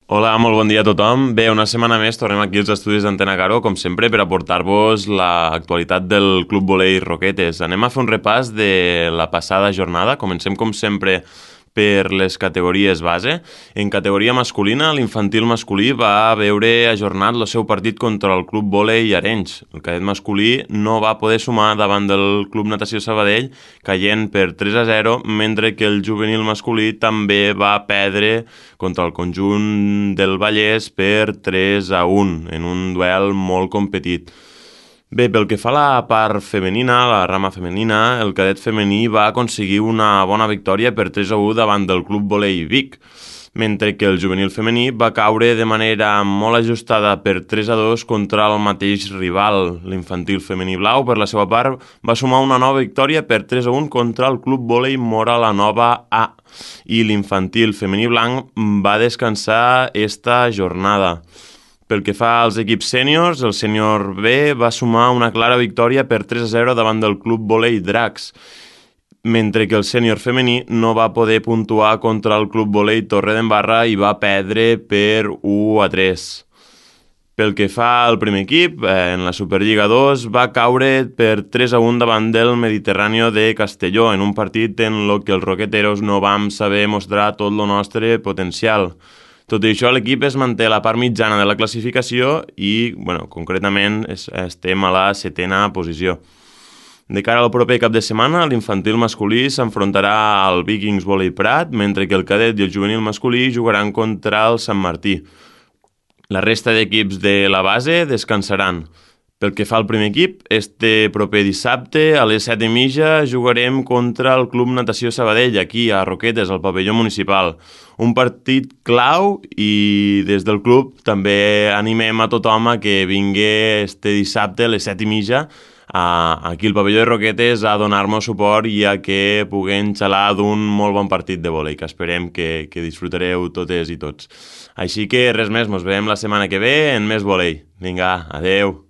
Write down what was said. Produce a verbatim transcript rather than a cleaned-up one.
Hola, molt bon dia a tothom. Bé, una setmana més tornem aquí als estudis d'Antena Caro, com sempre, per aportar-vos l'actualitat del Club Volei Roquetes. Anem a fer un repàs de la passada jornada. Comencem, com sempre, per les categories base. En categoria masculina, l'infantil masculí va veure ajornat el seu partit contra el Club Volei Arenys. El cadet masculí no va poder sumar davant del Club Natació Sabadell, caient per tres a zero, mentre que el juvenil masculí també va perdre contra el conjunt del Vallès per tres a un, en un duel molt competit. Bé, pel que fa a la part femenina, la rama femenina, el cadet femení va aconseguir una bona victòria per tres a u davant del Club Volei Vic, mentre que el juvenil femení va caure de manera molt ajustada per tres a dos contra el mateix rival. L'infantil femení blau, per la seva part, va sumar una nova victòria per tres a un contra el Club Volei Mora la Nova A, i l'infantil femení blanc va descansar esta jornada. Pel que fa als equips sèniors, el sènior B va sumar una clara victòria per tres a zero davant del Club Volei Dracs, mentre que el sènior femení no va poder puntuar contra el Club Volei Torredembarra i va perdre per u a tres. Pel que fa al primer equip, en la Superliga dos va caure per tres a un davant del Mediterráneo de Castelló, en un partit en el que els roqueteros no vam saber mostrar tot el nostre potencial. Tot i això, l'equip es manté a la part mitjana de la classificació i, bueno, concretament, estem a la setena posició. De cara al proper cap de setmana, l'infantil masculí s'enfrontarà al Vikings Volei Prat, mentre que el cadet i el juvenil masculí jugaran contra el Sant Martí. La resta d'equips de la base descansaran. Pel que fa al primer equip, este proper dissabte a les set i mitja jugarem contra el Club Natació Sabadell, aquí a Roquetes, al pavelló municipal. Un partit clau i des del club també animem a tothom a que vingui este dissabte a les set i mitja aquí al pavelló de Roquetes a donar-nos suport i a que puguem xalar d'un molt bon partit de vòlei, que esperem que, que disfrutareu totes i tots. Així que res més, mos veiem la setmana que ve en més vòlei. Vinga, adeu!